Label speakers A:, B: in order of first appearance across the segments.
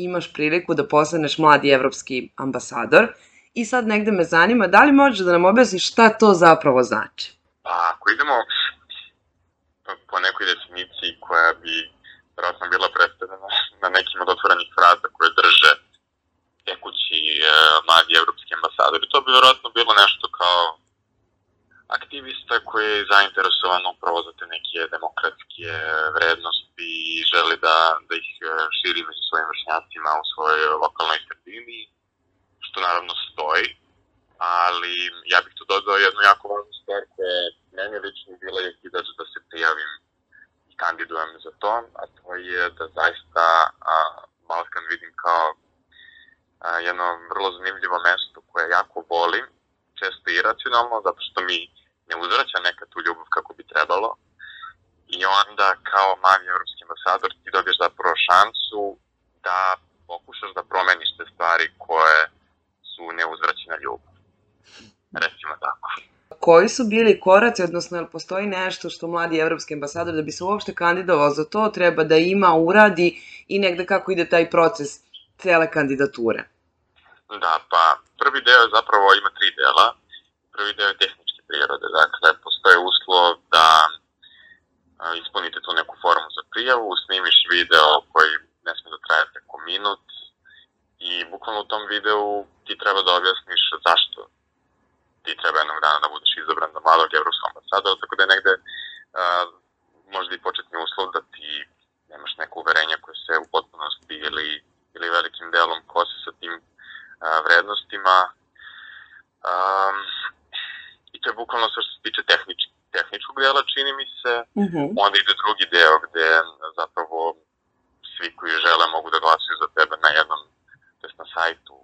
A: imaš priliku da postaneš mladi evropski ambasador i sad negde me zanima da li možeš da nam objasniš šta to zapravo znači?
B: Pa ako idemo po nekoj definiciji koja bi vjerojatno bila predstavljena na nekim od otvorenih fraza koje drže tekući mladi evropski ambasadori, to bi vjerojatno bilo nešto kao aktivista koji je zainteresovan upravo za te neke demokratske vrednosti i želi da ih širi među svojim vršnjacima u svojoj lokalnoj sredini, što naravno stoji, ali ja bih tu dodao jednu jako važnu stvar koja je meni lično bila je okidač da se prijavim i kandidujem za to, a to je da zaista Balkan vidim kao jedno vrlo zanimljivo mesto koje jako volim, često iracionalno, zato što mi ne uzvraća neka tu ljubav kako bi trebalo. I onda kao mali evropski ambasador ti dobiješ zapravo šansu da pokušaš da promeniš te stvari koje su neuzvraćena ljubav. Recimo tako.
A: Koji su bili koraci, odnosno je li postoji nešto što mladi evropski ambasador da bi se uopšte kandidovao za to treba da ima, uradi i negde kako ide taj proces cele kandidature?
B: Da, pa prvi deo je zapravo ima 3 dela. Prvi deo je tehničke prirode, dakle postoje uslov da ispunite tu neku formu za prijavu, snimiš video koji ne sme da traje preko minut i bukvalno u tom videu ti treba da objasniš zašto ti treba jednog dana da budeš izabran za mladog evropskog ambasadora, tako da je negde možda i početni uslov da ti nemaš neko uverenje koje se u potpunosti ili velikim delom kose sa tim vrednostima. I to je bukvalno sve što se tiče tehničkog dela, čini mi se. Onda ide drugi deo gde zapravo svi koji žele mogu da glasuju za tebe na jednom, to jest na sajtu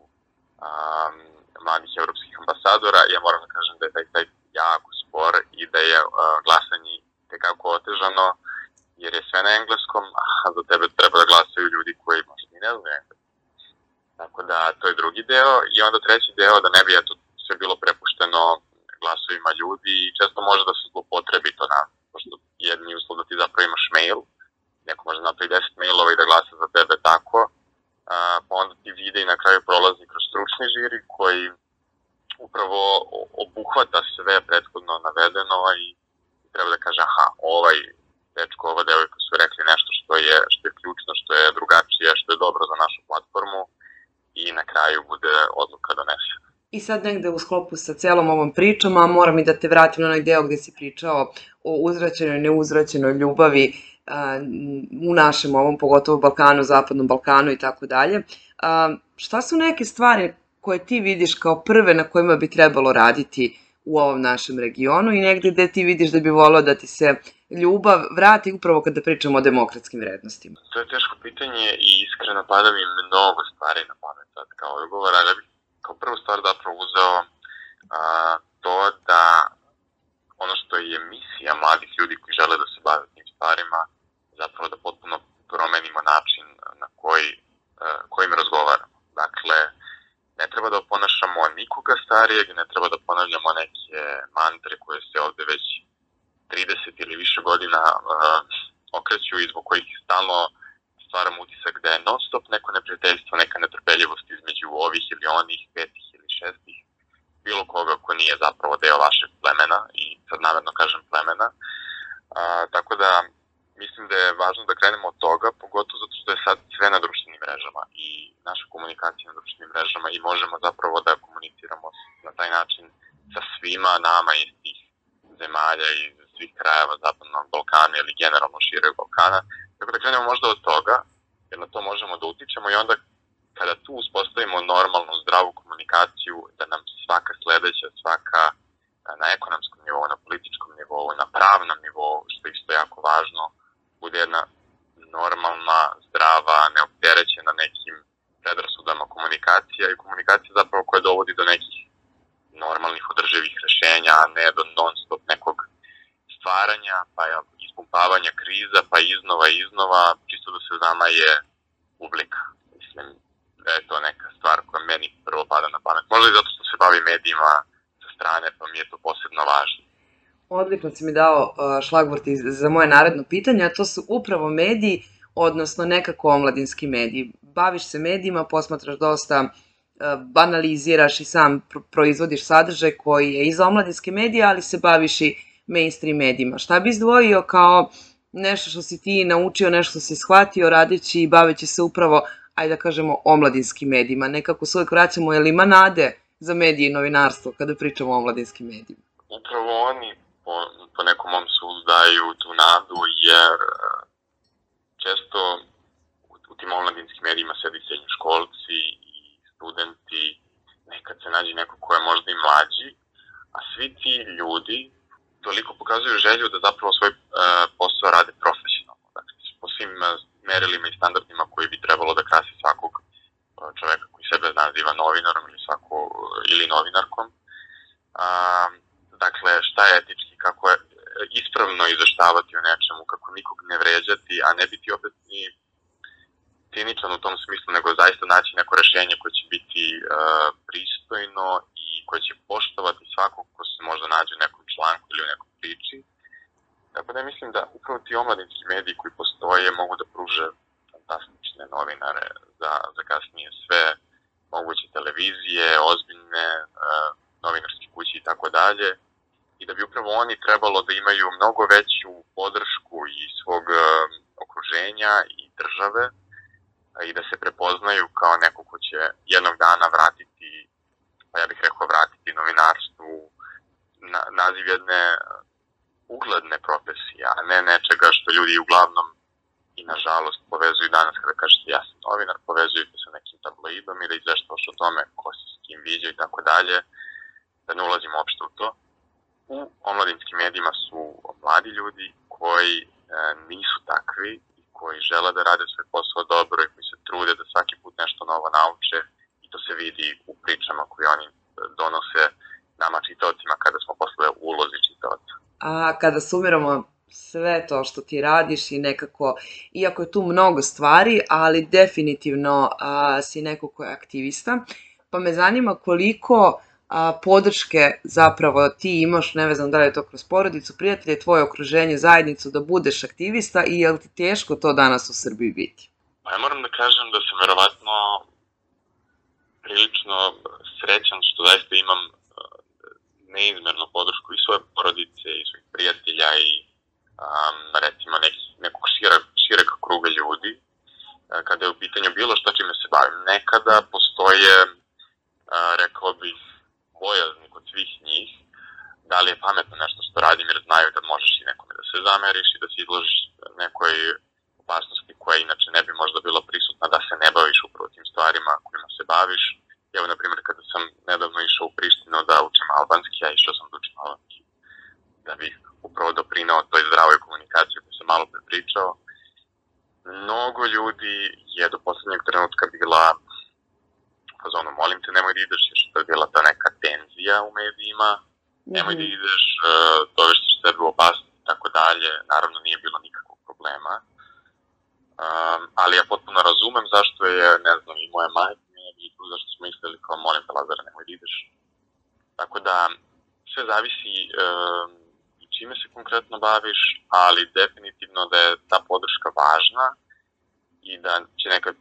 B: mladih evropskih ambasadora. Ja moram da kažem da je taj sajt jako spor i da je glasanje tekako otežano, jer je sve na engleskom, a za tebe treba da glasaju ljudi koji možda i ne znaju engleski. Tako da, to je drugi deo. I onda treći deo, da ne bi sve bilo prepušteno glasovima ljudi i često može da se zlopotrebi to pošto jedni uslov da ti zapravo imaš mail, neko može napravi 10 mailova i da glasa za tebe tako, pa onda ti vide i na kraju prolazi kroz stručni žiri koji upravo obuhvata sve prethodno navedeno i treba da kaže aha, ovaj dečko, ova devojka su rekli nešto što je ključno, što je drugačije, što je dobro za našu platformu i na kraju bude odluka donesena.
A: I sad negde u sklopu sa celom ovom pričom, a moram i da te vratim na onaj deo gde si pričao o uzvraćenoj, neuzvraćenoj ljubavi u našem ovom, pogotovo Balkanu, Zapadnom Balkanu i tako dalje. Šta su neke stvari koje ti vidiš kao prve na kojima bi trebalo raditi u ovom našem regionu i negde gde ti vidiš da bi volao da ti se ljubav vrati upravo kada pričamo o demokratskim vrednostima?
B: To je teško pitanje i iskreno pada mi mnogo stvari na pamet sad kao odgovor, ali ja bih kao prvu stvar zapravo uzeo to da ono što je misija mladih ljudi koji žele da se bave tim stvarima, zapravo da potpuno promenimo način na kojim razgovaramo. Dakle, ne treba da oponašamo nikoga starijeg, ne treba da ponavljamo neke mantre koje se ovde već 30 ili više godina okreću i zbog kojih stalno stvaramo utisak da je non stop neko neprijateljstvo, neka netrpeljivost između ovih ili onih, 5 ili 6, bilo koga ko nije zapravo deo vašeg plemena i sad namerno kažem plemena. Tako da mislim da je važno da krenemo od toga, pogotovo zato što je sad sve na društvenim mrežama i naša komunikacija na društvenim mrežama i možemo zapravo da komuniciramo na taj način sa svima nama iz tih zemalja i svih krajeva Zapadnog Balkana ili generalno šireg Balkana. Tako da krenemo možda od toga, jer na to možemo da utičemo i onda kada tu uspostavimo normalnu, zdravu komunikaciju, da nam svaka sledeća, svaka na ekonomskom nivou, na političkom nivou, na pravnom nivou, što je isto jako važno, bude jedna normalna, zdrava, neopterećena nekim predrasudama komunikacija i komunikacija zapravo koja dovodi do nekih normalnih održivih rešenja, a ne do non stop nekog stvaranja, pa ispumpavanja kriza, pa iznova, čisto da se nama je publika. Mislim da je to neka stvar koja meni prvo pada na pamet. Možda i zato što se bavi medijima sa strane, pa mi je to posebno važno.
A: Odlično si mi dao šlagvort za moje naredno pitanje, a to su upravo mediji, odnosno nekako omladinski mediji. baviš se medijima, posmatraš dosta, banaliziraš i sam proizvodiš sadržaj koji je i za omladinske medije, ali se baviš i mainstream medijima. Šta bi izdvojio kao nešto što si ti naučio, nešto što si shvatio radeći i baveći se upravo, ajde da kažemo, omladinskim medijima? Nekako se uvijek vraćamo, jel ima nade za medije i novinarstvo kada pričamo o omladinskim medijima?
B: Upravo oni po nekom mom sudu daju tu nadu, jer često u tim omladinskim medijima sedi srednjoškolci i studenti, nekad se nađe neko ko je možda i mlađi, a svi ti ljudi toliko pokazuju želju da zapravo svoj posao rade profesionalno. Dakle, po svim merilima i standardima koji bi trebalo da krasi svakog čoveka koji sebe naziva novinarom ili novinarkom. Dakle, šta je etički, kako je ispravno izveštavati o nečemu, kako nikog ne vređati, a ne biti opet ni ciničan u tom smislu, nego zaista naći neko rešenje koje će biti pristojno i koje će poštovati svakog ko se možda nađe u nekom članku ili u nekoj priči. Tako da mislim da upravo ti omladinski mediji koji postoje mogu da pruže fantastične novinare za kasnije sve moguće televizije, ozbiljne novinarske kuće i tako dalje. I da bi upravo oni trebalo da imaju mnogo veću podršku i svog okruženja i države i da se prepoznaju kao neko ko će jednog dana vratiti, pa ja bih rekao vratiti novinarstvu naziv jedne ugledne profesije, a ne nečega što ljudi uglavnom i nažalost povezuju danas kada kažete ja sam novinar, povezuju se sa nekim tabloidom i da izveštavaš o tome ko se s kim viđa i tako dalje, da ne ulazimo uopšte u to. U omladinskim medijima su mladi ljudi koji nisu takvi i koji žele da rade svoj posao dobro i koji se trude da svaki put nešto novo nauče i to se vidi u pričama koje oni donose nama čitaocima kada smo posle u ulozi čitaoca.
A: A kada sumiramo sve to što ti radiš i nekako, iako je tu mnogo stvari, ali definitivno si neko ko je aktivista, pa me zanima koliko podrške zapravo ti imaš, ne znam da li je to kroz porodicu, prijatelje, tvoje okruženje, zajednicu, da budeš aktivista i je li ti teško to danas u Srbiji biti?
B: Pa ja moram da kažem da sam verovatno prilično srećan što zaista imam neizmernu podršku i svoje porodice i svojih prijatelja i recimo nekog šireg kruga ljudi kada je u pitanju bilo što čime se bavim. Nekada postoje, rekao bih, bojazni kod svih njih, da li je pametno nešto što radim jer znaju da možeš i nekome da se zameriš i da se izložiš nekoj opasnosti koja inače ne bi možda bila prisutna da se ne baviš upravo tim stvarima kojima se baviš. Evo, na primjer, kada sam nedavno išao u Prištinu da učim albanski, ja išao sam da učim albanski da bih upravo doprinao toj zdravoj komunikaciji koju sam malo prepričao. Mnogo ljudi je do poslednjeg trenutka bila fazonu, molim te, nemoj da ideš, jer što je bila ta neka tenzija u medijima, nemoj da ideš, dovešćeš sebe u opasnost i tako dalje. Naravno, nije bilo nikakvog problema, ali ja potpuno razumem zašto je, ne znam, i moja majka i zašto smo mislili kao, molim te, Lazare, nemoj da ideš. Tako da, sve zavisi i čime se konkretno baviš, ali definitivno da je ta podrška važna i da će nekad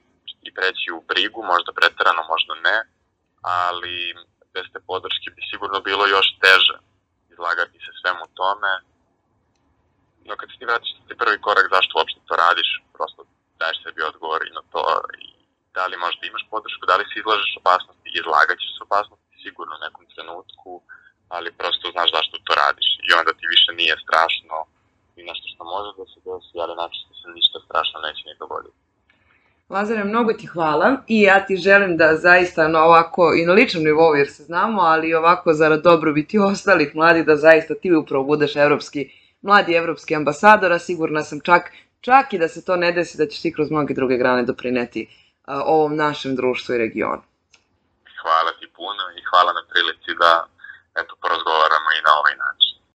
B: i preći u brigu, možda preterano, možda ne, ali bez te podrške bi sigurno bilo još teže izlagati se svemu tome. No kad se ti vratiš na prvi korak zašto uopšte to radiš, prosto daješ sebi odgovor i na to i da li možda imaš podršku, da li se izlažeš opasnosti, izlagat ćeš se opasnosti sigurno u nekom trenutku, ali prosto znaš zašto to radiš i onda ti više nije strašno i nešto što može da se desi, ali način se ništa strašno neće ni dogoditi.
A: Lazare, mnogo ti hvala i ja ti želim da zaista ovako i na ličnom nivou jer se znamo, ali i ovako zarad dobrobiti ostalih mladih da zaista ti upravo budeš mladi evropski ambasador, a sigurna sam čak i da se to ne desi da ćeš ti kroz mnoge druge grane doprineti ovom našem društvu i regionu.
B: Hvala ti puno i hvala na prilici da porazgovaramo i na ovaj način.